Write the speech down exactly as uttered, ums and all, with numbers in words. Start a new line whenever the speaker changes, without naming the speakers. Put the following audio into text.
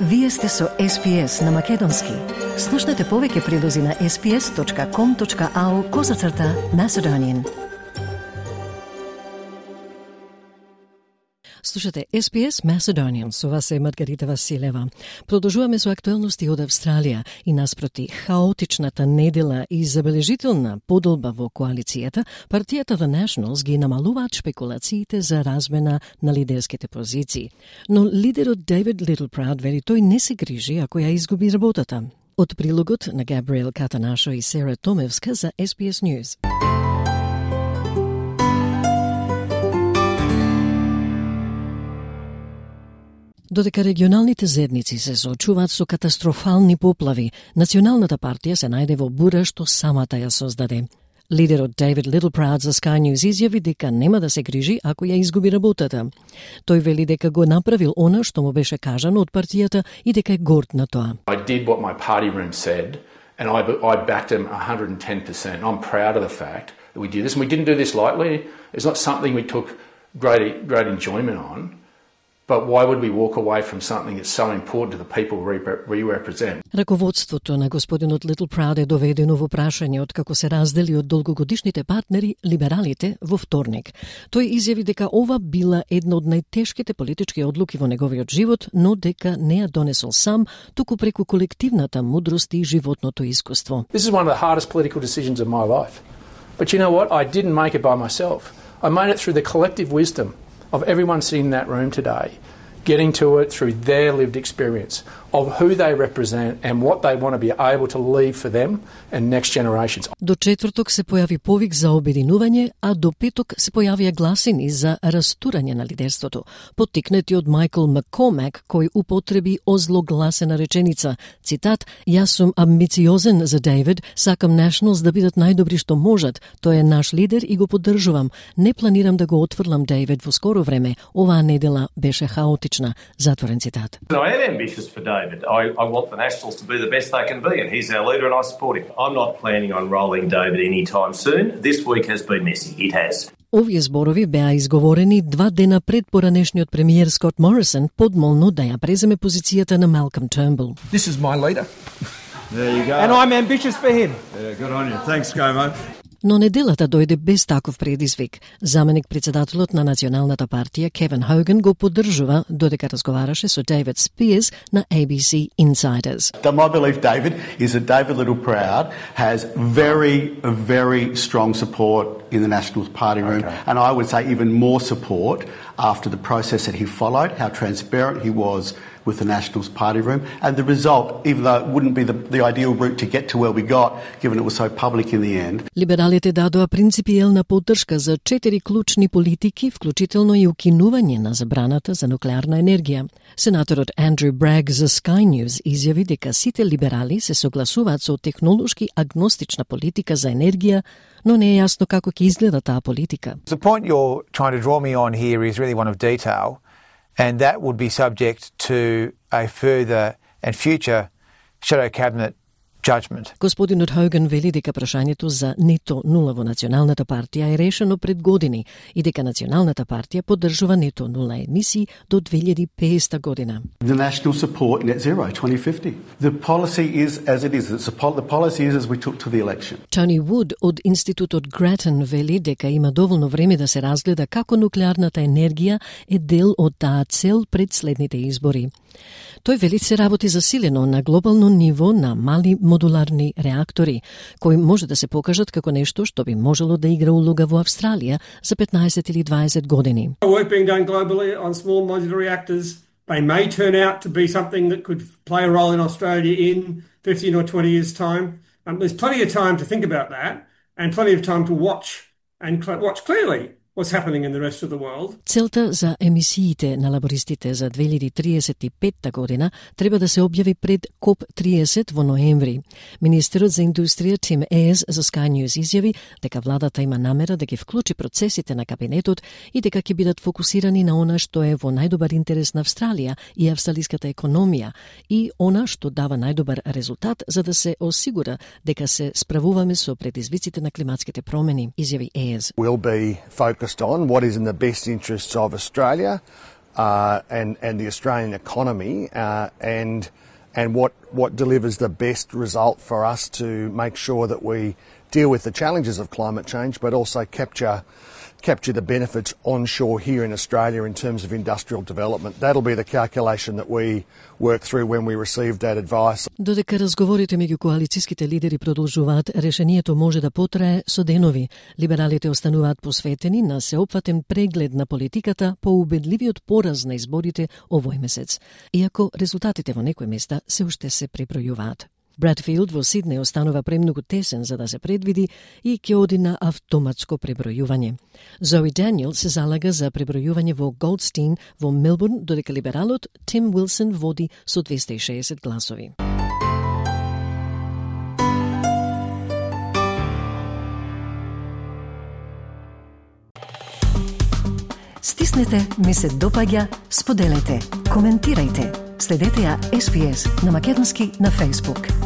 Вие сте со Ес Пи Ес на Македонски. Слушнете повеќе прилози на ес пи ес точка ком точка ау козацрта Macedonian. Слушате Ес Пи Ес Macedonian, со вас е Маргарита Василева. Продолжуваме со актуелности од Австралија и наспроти хаотичната недела и забележителна подолба во коалицијата, партијата The Nationals ги намалуваат шпекулациите за размена на лидерските позиции. Но лидерот Дейвид Литлпрауд вели тој не се грижи ако ја изгуби работата. Од прилогот на Габриел Катанашо и Сера Томевска за Ес Пи Ес News. Додека регионалните зедници се соочуваат со катастрофални поплави, Националната партија се најде во бура што самата ја создаде. Лидерот Дейвид Литлпрауд за Sky News изјави дека нема да се грижи ако ја изгуби работата. Тој вели дека го направил она што му беше кажано од партијата и дека е горд на тоа.
I did what my party room said and I, I backed him one hundred ten percent. I'm proud of the fact that we did this and we didn't do this lightly. It's not something we took great, great enjoyment on. But why would we walk away from something that's so important to the people we represent?
Раководството на господинот Литлпрауд е доведено во прашање од како се раздели од долгогодишните партнери, либералите, во вторник. Тој изјави дека ова била една од најтешките политички одлуки во неговиот живот, но дека не ја донесол сам, туку преку колективната мудрост и животното искуство.
This is one of the hardest political decisions of my life. But you know what? I didn't make it by myself. I made it through the collective wisdom of everyone sitting in that room today, getting to it through their lived experience of who they represent and what they want to be able to leave for them and next generations.
До четврток се појави повик за обединување, а до петок се појавија гласини за растурање на лидерството, поттикнати од Майкл Маккормак, кој употреби озлогласена реченица, цитат: "Јас сум амбициозен за Дейвид, сакам Nationals да бидат најдобри што можат, тој е наш лидер и го поддржувам. Не планирам да го отфрлам Дейвид во скоро време, оваа недела беше хаотична", затворен цитат.
I am ambitious for David. I, I want the Nationals to be the best they can be, and he's our leader and I support him. I'm not planning on rolling David anytime soon. This week has been messy. It has.
Овие зборови беа изговорени два дена пред поранешниот премиер Скот Морисон подмолно да ја преземе позицијата на Малком Тернбул.
This is my leader.
There you go.
And I'm ambitious for him.
Yeah, good on you. Thanks, Gomo.
Но неделата дојде без таков предизвик. Заменик председателот на Националната партија Кевин Хоган го поддржува додека разговараше со Дейвид Спиерс на A B C Insiders.
My belief, David, is that David Littleproud has very, very strong support in the Nationals party room, okay. And I would say even more support after the process that he followed, how transparent he was with the Nationals party room, and the result, even though it wouldn't be the, the ideal route to get to where we got, given it was so public in the end.
Либералите дадоа принципиелна поддршка за четири клучни политики, вклучително и укинување на забраната за нуклеарна енергија. Сенаторот Андрю Браг за Sky News изјави дека сите либерали се согласуваат со технолошки агностична политика за енергија, но не е јасно како ќе изгледа таа политика.
The point you're trying to draw me on here is really one of detail, and that would be subject to a further and future shadow cabinet judgment.
Господинот Хоган вели дека прашањето за нето нула во Националната партија е решено пред години и дека Националната партија поддржува нето нула емисии до две илјади и педесета година.
The national support net zero twenty fifty. The policy is as it is. The policy is as we took to the election.
Тони Вуд од институтот Гратен вели дека има доволно време да се разгледа како нуклеарната енергија е дел од таа цел пред следните избори. Тој вели се работи засилено на глобално ниво на мали модуларни реактори, кои може да се покажат како нешто што би можело да игра улога во Австралија за петнаесет или дваесет години.
Work being done globally on small modular reactors. They may turn out to be something that could play a role in Australia in fifteen or twenty years' time. Um, there's plenty of time to think about that and plenty of time to watch and cl- watch clearly what's happening in the rest of the world.
Целта за емисиите на лабористите за две илјади триесет и петта година треба да се објави пред коп тридесет во ноември. Министерот за индустрија Тим Ейс за Sky News изјави дека владата има намера да ги вклучи процесите на кабинетот и дека ќе бидат фокусирани на она што е во најдобар интерес на Австралија и австралиската економија и она што дава најдобар резултат за да се осигура дека се справуваме со предизвиците на климатските промени, изјави Ейс.
We'll be focused on what is in the best interests of Australia, uh, and and the Australian economy, uh, and and what what delivers the best result for us to make sure that we deal with the challenges of climate change, but also capture capture the benefits onshore here in Australia in terms of industrial development. That'll be the calculation that we work through when we receive that advice.
Додека разговорите меѓу коалицијските лидери продолжуваат, решението може да потрае со денови. Либералите остануваат посветени на сеопфатен преглед на политиката по убедливиот пораз на изборите овој месец, иако резултатите во некои места се уште се пребројуваат. Братфилд во Сиднеј останува премногу тесен за да се предвиди и ќе оди на автоматско пребројување. Зои Даниел се залага за пребројување во Голдстин во Мелбурн, додека либералот Тим Уилсон води со двеста и шеесет гласови. Стиснете, ми се допаѓа, споделете, коментирајте. Следете ја Ес Би Ес на македонски на Facebook.